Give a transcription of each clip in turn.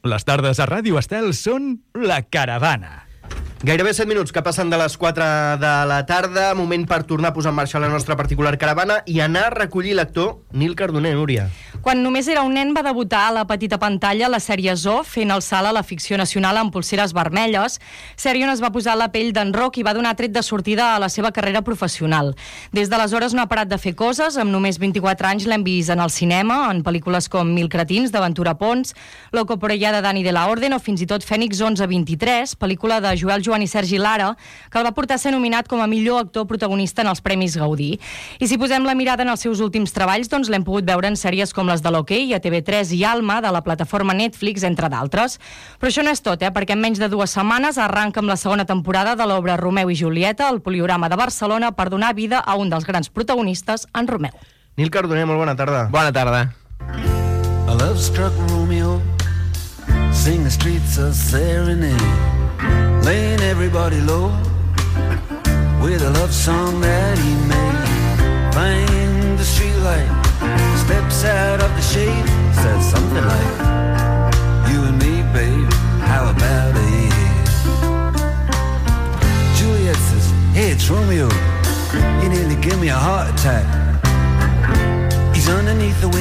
Les tardes a Ràdio Estel són La Caravana. Gairebé 7 minuts que passen de les 4 de la tarda, moment per tornar a posar en marxa la nostra particular caravana i anar a recollir l'actor Nil Cardoner, Núria. Quan només era un nen va debutar a la petita pantalla a la sèrie Zoo, fent el salt a la ficció nacional amb polseres vermelles, sèrie on es va posar la pell d'en Roc i va donar tret de sortida a la seva carrera professional. Des d'aleshores no ha parat de fer coses, amb només 24 anys l'hem vist en el cinema, en pel·lícules com Mil cretins, d'Aventura Pons, Loco por ella de Dani de la Orden o fins i tot Fènix 1123, pel·lícula de Joel Joan i Sergi Lara, que el va portar a ser nominat com a millor actor protagonista en els Premis Gaudí. I si posem la mirada en els seus últims treballs, doncs l'hem pogut veure en sèries com les de l'Hoquei, a TV3 i Alma, de la plataforma Netflix, entre d'altres. Però això no és tot, perquè en menys de 2 setmanes arranca amb la segona temporada de l'obra Romeu i Julieta, al Poliorama de Barcelona, per donar vida a un dels grans protagonistes, en Romeu. Nil Cardoner, molt bona tarda. Bona tarda. A love-struck Romeo sing the streets a serenade, laying everybody low with a love song that he made. Find the streetlight, steps out of the shade, says something like, you and me, babe, how about it? Juliet says, hey, it's Romeo, you nearly give me a heart attack.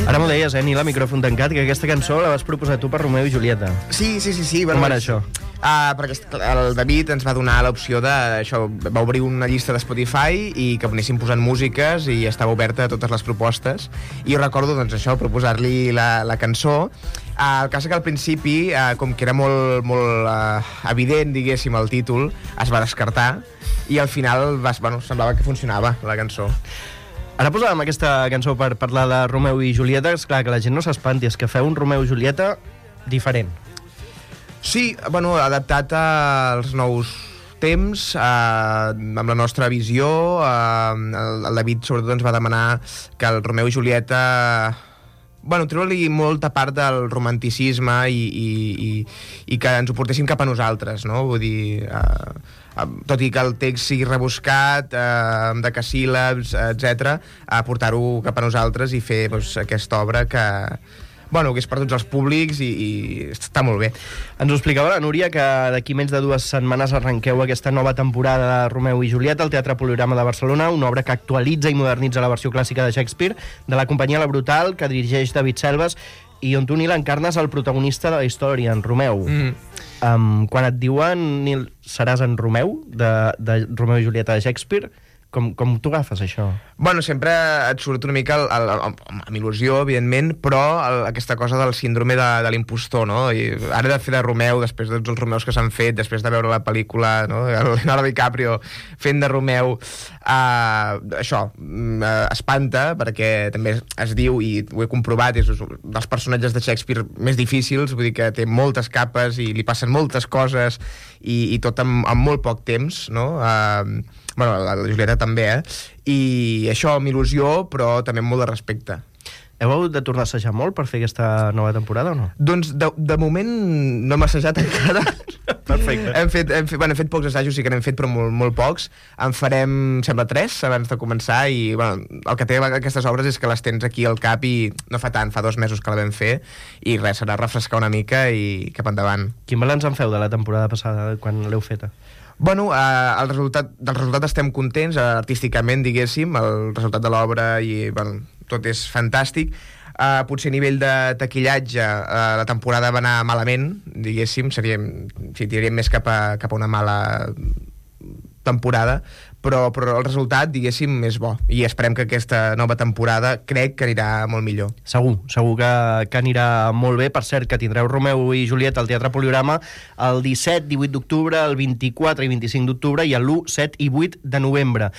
Ara m'ho deies, Nil, a micròfon tancat, que aquesta cançó la vas proposar tu per Romeu i Julieta. Sí. Com era això? Perquè el David ens va donar l'opció de... Això, va obrir una llista de Spotify i que anéssim posant músiques i estava oberta a totes les propostes. I recordo, doncs, això, proposar-li la cançó. El cas és que al principi, com que era molt evident, diguéssim, el títol, es va descartar i al final semblava que funcionava la cançó. Ara posàvem aquesta cançó per parlar de Romeu i Julieta. És clar que la gent no s'espanti, és que feu un Romeu i Julieta diferent. Sí, adaptat als nous temps, amb la nostra visió. El David, sobretot, ens va demanar que el Romeu i Julieta... treure-li molta part del romanticisme i que ens ho portéssim cap a nosaltres, no? Vull dir... tot i que el text sigui rebuscat, amb decasíl·labs, etc., a portar-ho cap a nosaltres i fer aquesta obra que és per tots els públics i està molt bé. Ens ho explicava la Núria, que d'aquí menys de 2 setmanes arrenqueu aquesta nova temporada de Romeu i Julieta al Teatre Poliorama de Barcelona, una obra que actualitza i modernitza la versió clàssica de Shakespeare, de la companyia La Brutal, que dirigeix David Selves, i on tu, Nil, encarnes el protagonista de la història, en Romeu. Quan et diuen, Nil, seràs en Romeu, de Romeu i Julieta de Shakespeare, com t'ho agafes, això? Sempre et surt una mica amb il·lusió, evidentment, però aquesta cosa del síndrome de l'impostor, no? I ara he de fer de Romeu, després de tots els Romeus que s'han fet, després de veure la pel·lícula, no? Leonardo DiCaprio fent de Romeu, això espanta, perquè també es diu, i ho he comprovat, és dels personatges de Shakespeare més difícils, vull dir que té moltes capes i li passen moltes coses i tot en molt poc temps, no? La Julieta també, i això amb il·lusió, però també amb molt de respecte. Heu hagut de tornar a assajar molt per fer aquesta nova temporada o no? Doncs de moment no hem assajat encara. Perfecte. Hem fet pocs assajos, sí que n'hem fet, però molt pocs. En farem, sembla, 3 abans de començar i el que té aquestes obres és que les tens aquí al cap i no fa tant, fa 2 mesos que la vam fer i res, serà refrescar una mica i cap endavant. Quin balanç en feu de la temporada passada, quan l'heu feta? Del resultat estem contents, artísticament, diguéssim, el resultat de l'obra i tot és fantàstic. Potser a nivell de taquillatge la temporada va anar malament, diguéssim, tiraríem més cap a una mala temporada, però el resultat, diguéssim, és bo. I esperem que aquesta nova temporada crec que anirà molt millor. Segur que anirà molt bé. Per cert, que tindreu Romeu i Julieta al Teatre Poliorama el 17, 18 d'octubre, el 24 i 25 d'octubre i el 1, 7 i 8 de novembre.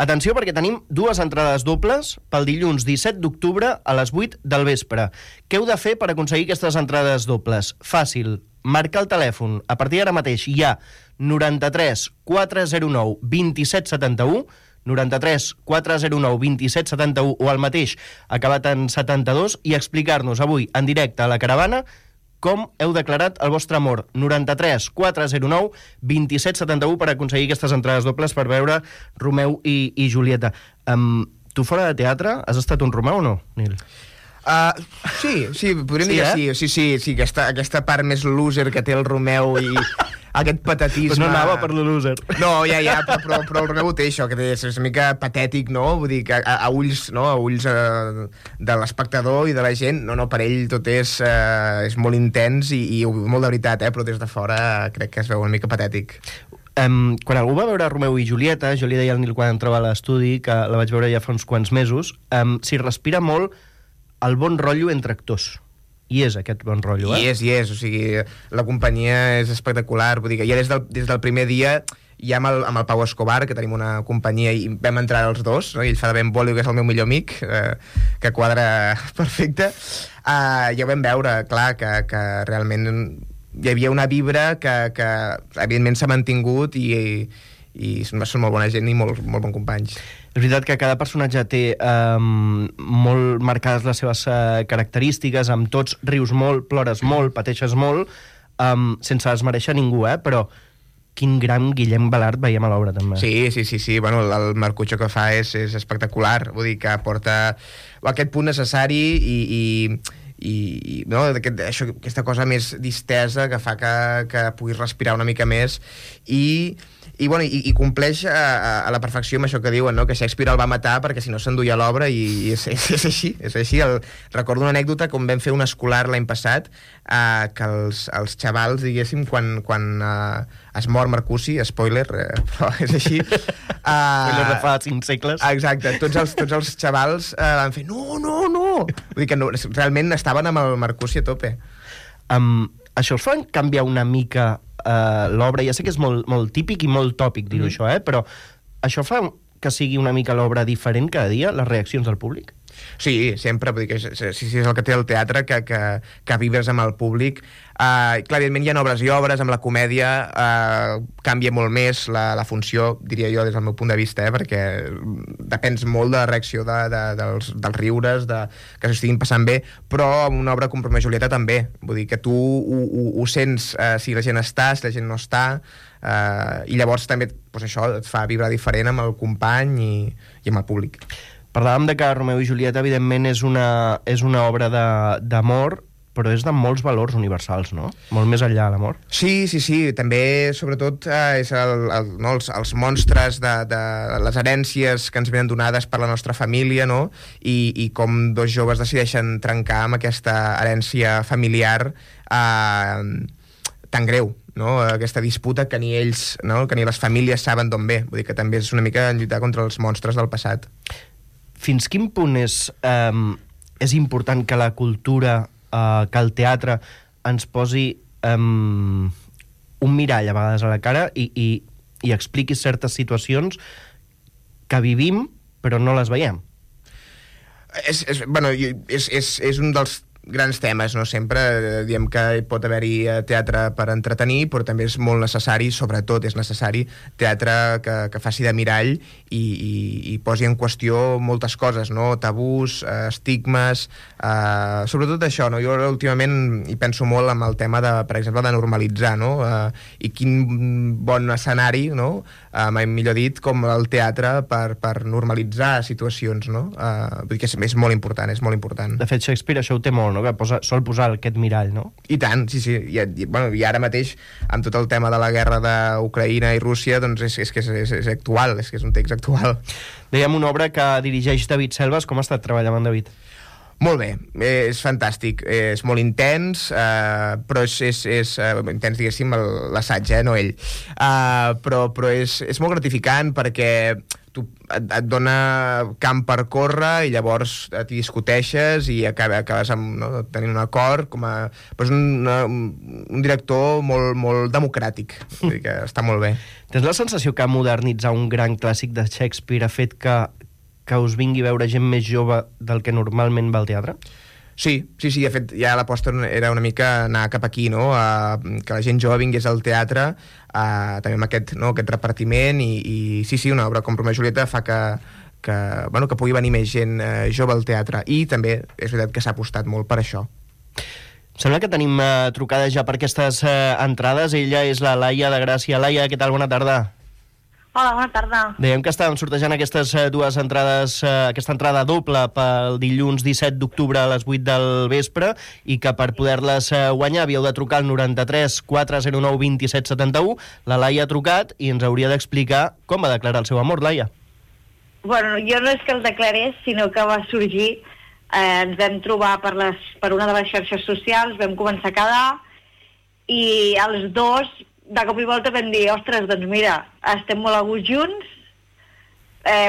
Atenció, perquè tenim 2 entrades dobles pel dilluns 17 d'octubre a les 8 del vespre. Què heu de fer per aconseguir aquestes entrades dobles? Fàcil. Marcar el telèfon. A partir d'ara mateix hi ha 93 409 27 71, 93 409 27 71 o el mateix acabat en 72 i explicar-nos avui en directe a la caravana com heu declarat el vostre amor. 93 409 27 71 per aconseguir aquestes entrades dobles per veure Romeu i Julieta. Tu fora de teatre has estat un Romeu o no, Nil? Sí, podríem dir que sí, aquesta part més loser que té el Romeu i aquest patetisme... Pues no anava per lo loser. No, però el Romeu ho té això, que és una mica patètic, no? Vull dir que a ulls, no? A ulls de l'espectador i de la gent, no, per ell tot és molt intens i molt de veritat, però des de fora crec que es veu una mica patètic. Quan algú va veure Romeu i Julieta, jo li deia al Nil quan entrava a l'estudi, que la vaig veure ja fa uns quants mesos, s'hi respira molt el bon rotllo entre actors. I és aquest bon rotllo, I és, o sigui, la companyia és espectacular, vull dir que ja des del primer dia, ja amb el Pau Escobar, que tenim una companyia, i vam entrar els dos, no? I ell fa de Ben Bolio, que és el meu millor amic, que quadra perfecte, ja ho vam veure, clar, que realment hi havia una vibra que evidentment s'ha mantingut i són molt bona gent i molt bon companys. És veritat que cada personatge té molt marcades les seves característiques, amb tots rius molt, plores molt, pateixes molt, sense desmereixer ningú, però quin gran Guillem Balart veiem a l'obra, també. Sí. Bueno, el Marcucho que fa és espectacular, vull dir que aporta aquest punt necessari i no, aquesta cosa més distesa que fa que puguis respirar una mica més i compleix a la perfecció amb això que diuen, no? Que Shakespeare el va matar perquè si no s'enduia l'obra i és així. Recordo una anècdota com vam fer un escolar l'any passat que els xavals, diguéssim, quan es mor Mercuci, spoiler, però és així. Spoiler de fa 5 segles. Exacte, tots els xavals van fer no! Vull dir que no, realment estaven amb el Mercuci a tope. Això us fa canviar una mica l'obra? Ja sé que és molt típic i molt tòpic dir-ho això, però això fa que sigui una mica l'obra diferent cada dia, les reaccions del públic? Sí, sempre, vull dir que sí, és el que té el teatre, que vibres amb el públic. Clar, evidentment hi ha obres i obres, amb la comèdia canvia molt més la funció, diria jo, des del meu punt de vista, perquè depens molt de la reacció dels riures, que s'ho estiguin passant bé, però amb una obra com Romeu i Julieta també, vull dir que tu ho sents si la gent està, si la gent no està, i llavors també això et fa vibrar diferent amb el company i amb el públic. Parlàvem de que Romeu i Julieta, evidentment, és una obra d'amor, però és de molts valors universals, no? Molt més enllà de l'amor. Sí. També, sobretot, és els monstres de les herències que ens venen donades per la nostra família, no? I com dos joves decideixen trencar amb aquesta herència familiar tan greu, no? Aquesta disputa que ni ells, no? Que ni les famílies saben d'on ve. Vull dir que també és una mica lluitar contra els monstres del passat. Fins quin punt és important que la cultura, que el teatre ens posi un mirall a vegades a la cara i expliqui certes situacions que vivim però no les veiem? És un dels grans temes, no? Sempre diem que pot haver-hi teatre per entretenir, però també és molt necessari, sobretot és necessari, teatre que faci de mirall i posi en qüestió moltes coses, no? Tabús, estigmes, sobretot això, no? Jo últimament hi penso molt amb el tema, per exemple, de normalitzar, no? I quin bon escenari, no? Mai millor dit, com el teatre per normalitzar situacions, no? Vull dir que és molt important, és molt important. De fet, Shakespeare això ho té molt, no? Que sol posar aquest mirall, no? I tant, sí. I ara mateix, amb tot el tema de la guerra d'Ucraïna i Rússia, doncs és que és actual, és que és un text actual. Dèiem una obra que dirigeix David Selves. Com ha estat treballar amb en David? Molt bé, és fantàstic, és molt intens, però és intens, diguéssim, l'assaig, no ell. Però és molt gratificant perquè et dona camp per córrer i llavors t'hi discuteixes i acabes tenint un acord. Però és un director molt democràtic, vull dir que està molt bé. Tens la sensació que modernitzar un gran clàssic de Shakespeare ha fet que us vingui a veure gent més jove del que normalment va al teatre? Sí, de fet ja l'aposta era una mica anar cap aquí, no? Que la gent jove vingués al teatre, també amb aquest repartiment i sí, una obra com Romeu i Julieta fa que pugui venir més gent jove al teatre, i també és veritat que s'ha apostat molt per això. Sembla que tenim trucada ja per aquestes entrades. Ella és la Laia de Gràcia. Laia, què tal? Bona tarda. Hola, bona tarda. Dèiem que estàvem sortejant aquestes dues entrades, aquesta entrada doble pel dilluns 17 d'octubre a les 8 del vespre i que per poder-les guanyar havíeu de trucar al 93 409 27 71. La Laia ha trucat i ens hauria d'explicar com va declarar el seu amor, Laia. Bueno, jo no és que el declarés, sinó que va sorgir, ens vam trobar per una de les xarxes socials, vam començar a quedar i els dos de cop i volta vam dir, ostres, doncs mira, estem molt a gust junts,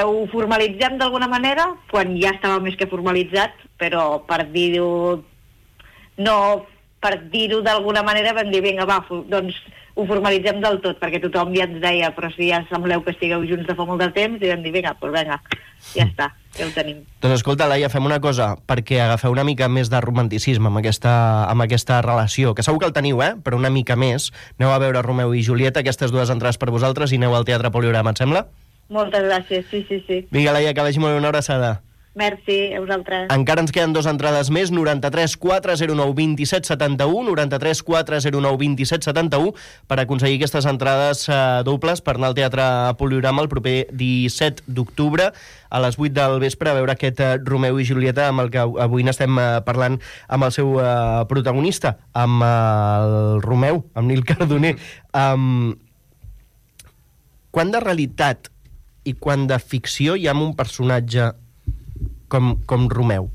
ho formalitzem d'alguna manera, quan ja estava més que formalitzat, però per dir-ho d'alguna manera vam dir, vinga, va, doncs ho formalitzem del tot, perquè tothom ja ens deia, però si ja sembleu que estigueu junts de fa molt de temps, i vam dir, vinga, doncs vinga, ja està, ja ho tenim. Doncs escolta, Laia, fem una cosa, perquè agafeu una mica més de romanticisme amb aquesta relació, que segur que el teniu, però una mica més. Aneu a veure Romeu i Julieta, aquestes dues entrades per vosaltres, i aneu al Teatre Poliorama, et sembla? Moltes gràcies, sí. Vinga, Laia, que vagi molt bé, una abraçada. Merci, a vosaltres. Encara ens queden 2 entrades més, 93 409 27 71, 93 409 27 71, per aconseguir aquestes entrades dobles per anar al Teatre Poliorama el proper 17 d'octubre a les 8 del vespre a veure aquest Romeu i Julieta amb el que avui n'estem parlant amb el seu protagonista, amb el Romeu, amb Nil Cardoner. Quant de realitat i quant de ficció hi ha en un personatge com Romeu?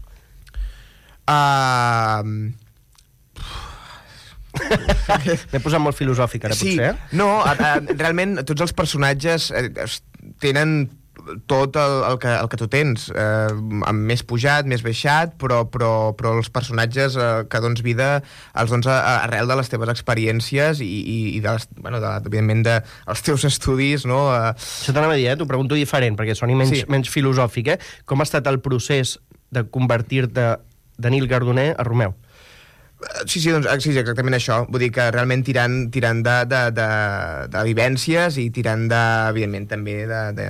M'he posat molt filosòfic ara, potser. No, realment tots els personatges tenen tot el que tu tens, amb més pujat, més baixat, però els personatges que dons vida els dons arrel de les teves experiències i evidentment dels teus estudis, no? Això t'anava a dir, t'ho pregunto diferent, perquè soni menys filosòfic, Com ha estat el procés de convertir-te de Nil Cardoner a Romeu? Sí, exactament això. Vull dir que realment tirant de vivències i tirant evidentment també de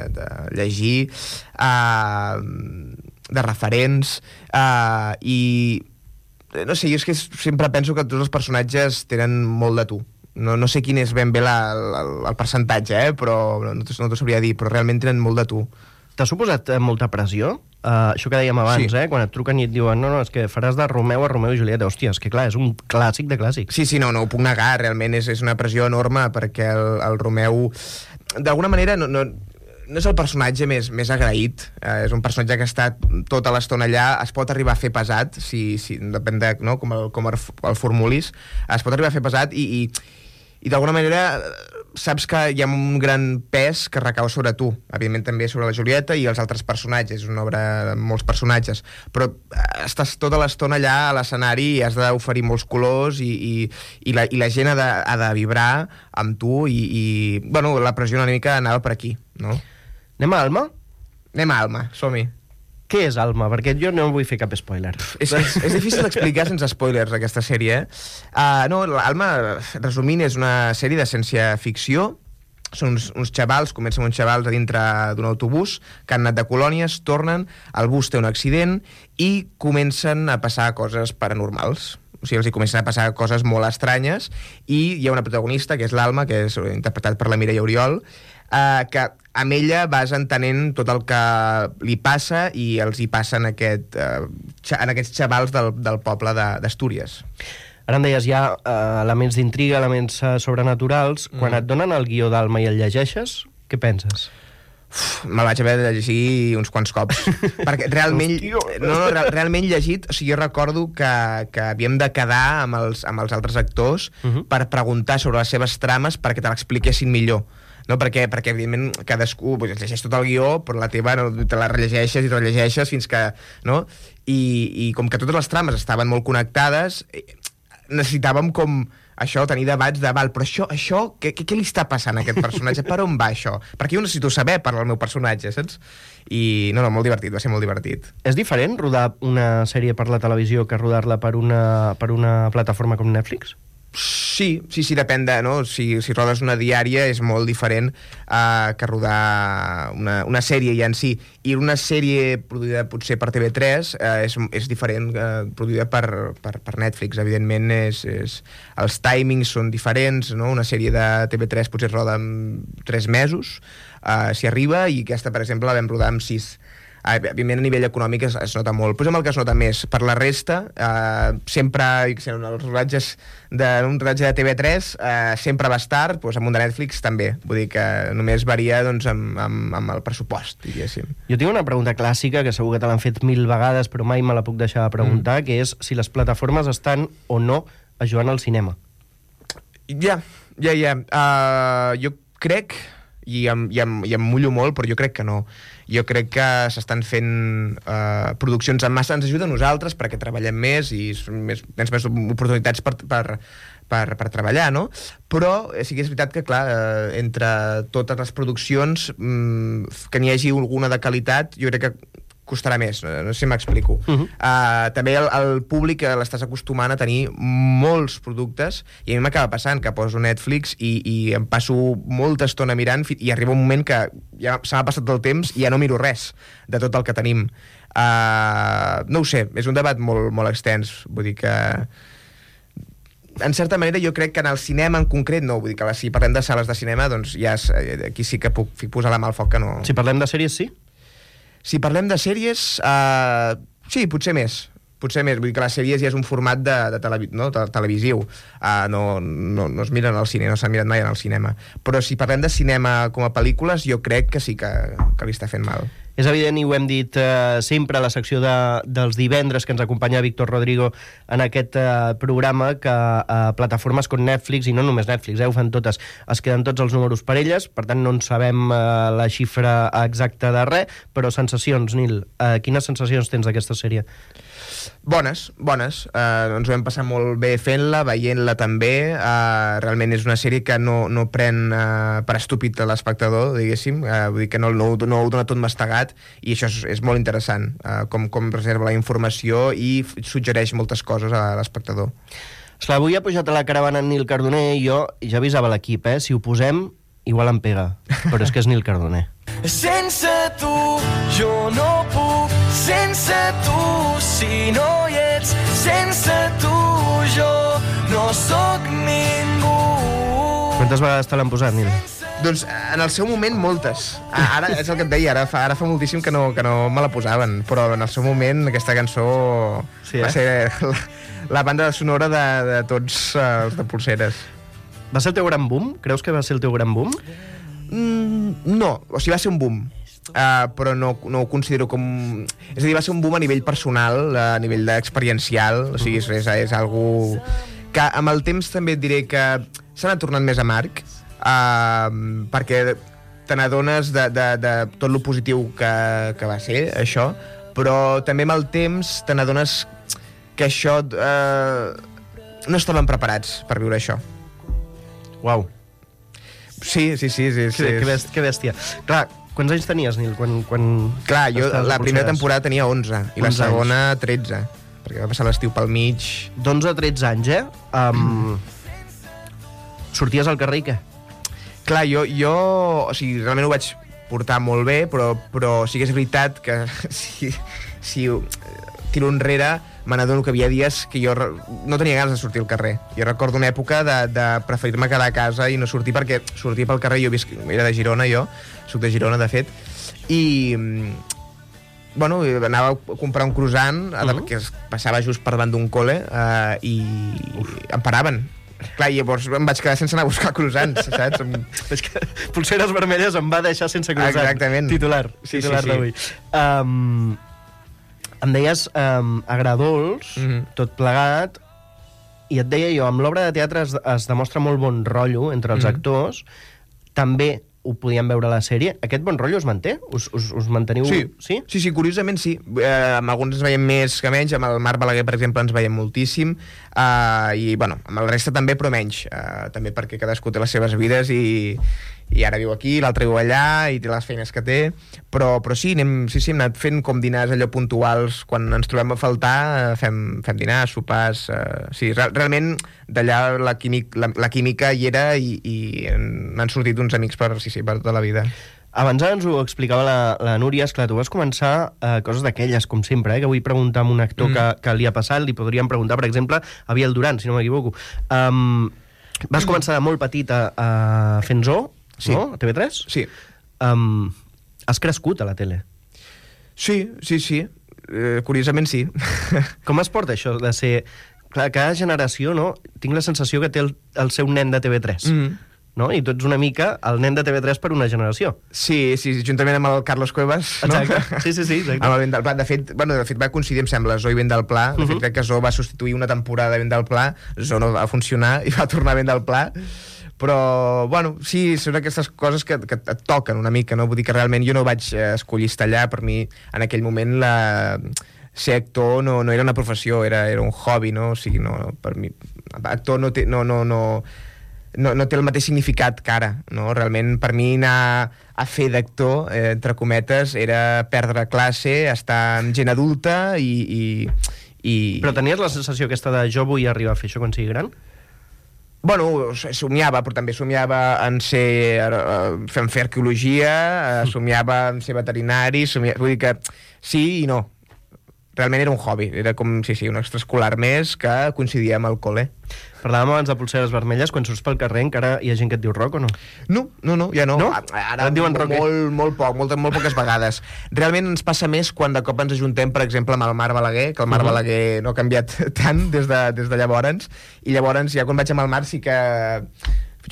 llegir, de referents, i no sé, jo és que sempre penso que tots els personatges tenen molt de tu. No sé quin és ben bé el percentatge, però no t'ho sabria dir, però realment tenen molt de tu. T'ha suposat molta pressió? Això que dèiem abans, quan et truquen i et diuen no, és que faràs de Romeu a Romeu i Julieta. Hòstia, és que clar, és un clàssic de clàssics. Sí, no ho puc negar, realment és una pressió enorme, perquè el Romeu d'alguna manera no és el personatge més agraït, és un personatge que ha estat tota l'estona allà, es pot arribar a fer pesat, si depèn de com el formulis, es pot arribar a fer pesat i d'alguna manera saps que hi ha un gran pes que recau sobre tu, evidentment també sobre la Julieta i els altres personatges, és una obra amb molts personatges, però estàs tota l'estona allà a l'escenari i has d'oferir molts colors i la gent ha de vibrar amb tu i bueno, la pressió una mica anava per aquí, no? Anem a Alma? Anem a Alma, som-hi. Què és Alma? Perquè jo no vull fer cap spoiler. És difícil d'explicar sense spoilers, aquesta sèrie. No, Alma, resumint, és una sèrie de ciència-ficció. Són uns xavals, comencen uns xavals a dintre d'un autobús que han anat de colònies, tornen, el bus té un accident i comencen a passar coses paranormals. O sigui, els hi comencen a passar coses molt estranyes i hi ha una protagonista, que és l'Alma, que és interpretat per la Mireia Oriol, que amb ella vas entenent tot el que li passa i els hi passa en aquests xavals del poble d'Astúries. Ara em deies, hi ha elements d'intriga, elements sobrenaturals. Quan et donen el guió d'Alma i el llegeixes, què penses? Me'l vaig haver de llegir uns quants cops perquè realment realment llegit, o sigui, jo recordo que havíem de quedar amb els altres actors per preguntar sobre les seves trames perquè te l'expliquessin millor, no? Perquè evidentment cadascú llegeix tot el guió, però la teva te la rellegeixes i te la llegeixes fins que, no? I com que totes les trames estaven molt connectades, necessitàvem com això, tenir debats de, però això què li està passant a aquest personatge? Per on va això? Perquè jo necessito saber per al meu personatge, saps? I no, molt divertit, va ser molt divertit. És diferent rodar una sèrie per la televisió que rodar-la per una plataforma com Netflix? Sí, depèn de... No? Si rodes una diària és molt diferent que rodar una sèrie ja en si. I una sèrie produïda potser per TV3 és diferent produïda per Netflix. Evidentment, els timings són diferents. No? Una sèrie de TV3 potser roda en 3 mesos, si arriba, i aquesta, per exemple, la vam rodar en 6. Evidentment, a nivell econòmic es nota molt, però és amb el que es nota més. Per la resta, sempre, els rodatges d'un rodatge de TV3 sempre va estar, doncs amb un de Netflix també. Vull dir que només varia doncs, amb el pressupost, diguéssim. Jo tinc una pregunta clàssica, que segur que te l'han fet 1000 vegades, però mai me la puc deixar de preguntar, que és si les plataformes estan o no ajudant al cinema. Ja. Jo crec, i em mullo molt, però jo crec que no. Jo crec que s'estan fent produccions en massa. Ens ajuda a nosaltres perquè treballem més i tens més oportunitats per treballar, no? Però sí que és veritat que, clar, entre totes les produccions, que n'hi hagi alguna de qualitat, jo crec que costarà més, no sé si m'explico. També el públic l'estàs acostumant a tenir molts productes, i a mi m'acaba passant que poso Netflix i em passo molta estona mirant i arriba un moment que ja se m'ha passat el temps i ja no miro res de tot el que tenim. No ho sé, és un debat molt, molt extens. Vull dir que en certa manera jo crec que en el cinema en concret no, vull dir que si parlem de sales de cinema, doncs ja aquí sí que puc posar la mà al foc que no... Si parlem de sèries, sí? Si parlem de sèries, sí, potser més. Vull dir que les sèries ja és un format televisiu. No es miren al cine, no s'han mirat mai en el cinema. Però si parlem de cinema com a pel·lícules, jo crec que sí que li està fent mal. És evident, i ho hem dit sempre a la secció dels divendres que ens acompanya Víctor Rodrigo en aquest programa, que plataformes com Netflix, i no només Netflix, ho fan totes, es queden tots els números per elles, per tant no en sabem la xifra exacta de res, però sensacions, Nil, quines sensacions tens d'aquesta sèrie? Bones. Ens ho vam passar molt bé fent-la, veient-la també. Realment és una sèrie que no pren per estúpid a l'espectador, diguéssim. Vull dir que no ho dona tot mastegat, i això és molt interessant, com reserva la informació i suggereix moltes coses a l'espectador. Esclar, avui ha pujat a la caravana en Nil Cardoner i jo ja avisava l'equip, si ho posem igual em pega, però és que és Nil Cardoner. Sense tu jo no puc, sense tu si no hi ets, sense tu jo no sóc ningú. Quantes vegades te l'han posat, Nil? Doncs en el seu moment moltes. Ara és el que et deia, ara fa moltíssim que no me la posaven, però en el seu moment aquesta cançó va ser la banda sonora de tots els de Polseres. Va ser el teu gran boom? Creus que va ser el teu gran boom? No, o sigui, va ser un boom, però no ho considero com... És a dir, va ser un boom a nivell personal, a nivell experiencial, o sigui, és algú que amb el temps també et diré que s'ha anat tornant més amarg, perquè te n'adones de tot lo positiu que va ser això, però també amb el temps te n'adones que això no estaven preparats per viure això. Uau. Sí. Que bèstia. Clar, quants anys tenies, Nil? Clar, jo la primera temporada tenia 11 i la segona 13, perquè va passar l'estiu pel mig. D'11 a 13 anys, sorties al carrer i què? Clar, jo o sigui, realment ho vaig portar molt bé, però sí que és veritat que si tiro enrere me n'adono que hi havia dies que jo no tenia ganes de sortir al carrer. Jo recordo una època de preferir-me quedar a casa i no sortir, perquè sortir pel carrer, era de Girona, soc de Girona, de fet, i bueno, anava a comprar un croissant, que passava just per davant d'un col·le, i em paraven. Clar, llavors em vaig quedar sense anar a buscar croissants, saps? És que Polseres Vermelles em va deixar sense croissant. Exactament. Titular d'avui. Em deies agradols, tot plegat, i et deia jo, amb l'obra de teatre es demostra molt bon rotllo entre els actors, també ho podíem veure a la sèrie. Aquest bon rotllo es manté? Us manteniu? Sí, curiosament sí. Amb alguns ens veiem més que menys, amb el Marc Balaguer, per exemple, ens veiem moltíssim. I, bueno, amb el resta també, però menys. També perquè cadascú té les seves vides i ara viu aquí, l'altre viu allà i té les feines que té, però sí, hem anat fent com dinars allò puntuals quan ens trobem a faltar, fem dinars, sopars, sí, realment d'allà la química hi era i n'han sortit uns amics per tota la vida. Abans ens ho explicava la Núria, esclar, tu vas començar coses d'aquelles, com sempre, que vull preguntar a un actor que li ha passat, li podríem preguntar, per exemple, a Biel Duran, si no m'equivoco. Vas començar de molt petita fent zoo, sí. No? A TV3? Sí. Has crescut a la tele? Sí. Curiosament sí. Com es porta això de ser... Clar, cada generació, no? Tinc la sensació que té el seu nen de TV3. No? I tu ets una mica el nen de TV3 per una generació. Sí, juntament amb el Carlos Cuevas. Exacte, no? sí, exacte. Amb el Vent del Pla. De fet, va coincidir, em sembla, Zoo i Vent del Pla. De fet, crec que Zoo va substituir una temporada de Vent del Pla, Zoo no va funcionar i va tornar a Vent del Pla. Però, bueno, sí, són aquestes coses que et toquen una mica, no? Vull dir que realment jo no vaig escollir estar allà. Per mi, en aquell moment, ser actor no era una professió, era un hobby, no? O sigui, no, per mi, actor no té el mateix significat que ara, no? Realment, per mi, anar a fer d'actor, entre cometes, era perdre classe, estar amb gent adulta i... Però tenies la sensació aquesta de jo vull arribar a fer això quan sigui gran? Bueno, somiava, però també somiava en fer arqueologia, somiava en ser veterinari, vull dir que sí i no. Realment era un hobby, era com, un extraescolar més que coincidia amb el col·le. Parlàvem abans de polseres vermelles, quan surts pel carrer encara hi ha gent que et diu rock o no? No, ja no. No? Ara et diuen rock, molt poques vegades. Realment ens passa més quan de cop ens ajuntem, per exemple, amb el Marc Balaguer, que el Marc Balaguer no ha canviat tant des de llavors, i llavors ja quan vaig amb el Marc sí que...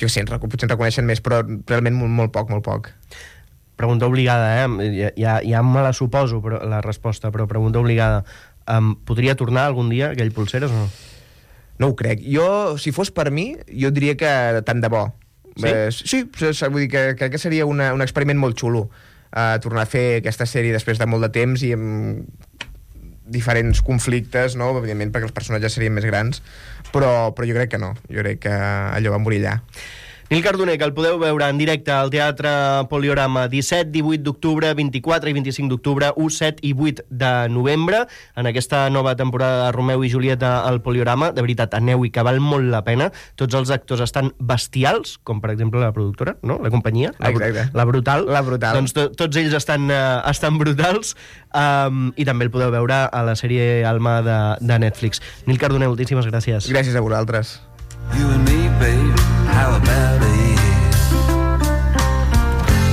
Jo sé, potser en reconeixen més, però realment molt poc. Pregunta obligada, ja me la suposo, però la resposta, però pregunta obligada. Podria tornar algun dia aquell polseres o no? No ho crec. Jo, si fos per mi, jo diria que tant de bo. Sí? Sí, vull dir que crec que seria un experiment molt xulo tornar a fer aquesta sèrie després de molt de temps i amb diferents conflictes, no? Evidentment perquè els personatges serien més grans, però jo crec que no. Jo crec que allò va morir allà. Nil Cardoner, que el podeu veure en directe al Teatre Poliorama 17, 18 d'octubre, 24 i 25 d'octubre, 1, 7 i 8 de novembre, en aquesta nova temporada de Romeu i Julieta al Poliorama. De veritat, aneu-hi, que val molt la pena. Tots els actors estan bestials, com per exemple la productora, no? La companyia, la Brutal. Doncs tots ells estan brutals, i també el podeu veure a la sèrie Alma de Netflix. Nil Cardoner, moltíssimes gràcies. Gràcies a vosaltres. You and me, babe, how about it?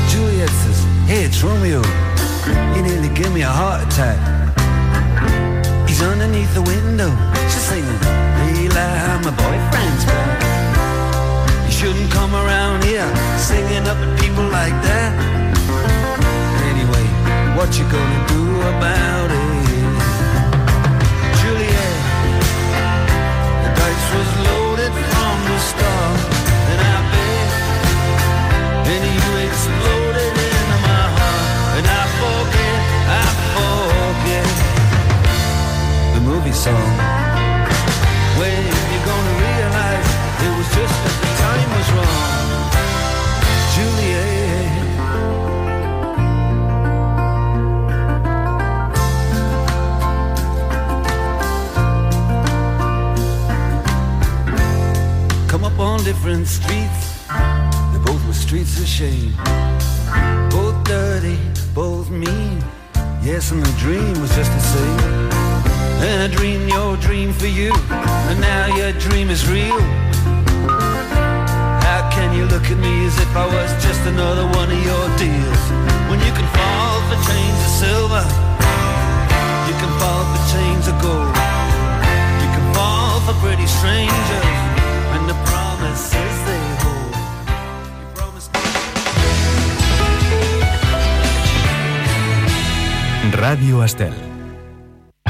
Juliet says, hey, it's Romeo. You nearly gave me a heart attack. He's underneath the window. She's singing, Leila, my boyfriend's back. You shouldn't come around here singing up at people like that. Anyway, what you gonna do about it? Juliet, the dice was loaded from the start, and I bet, and you exploded into my heart, and I forget the movie song. When you're gonna realize it was just that the time was wrong, Juliet. Come up on different streets, they both were streets of shame. Both dirty, both mean, yes, and the dream was just the same. And I dreamed your dream for you, and now your dream is real. How can you look at me as if I was just another one of your deals? When you can fall for chains of silver, you can fall for chains of gold, you can fall for pretty strangers, and the promises they hold. You promised me. Ràdio Estel.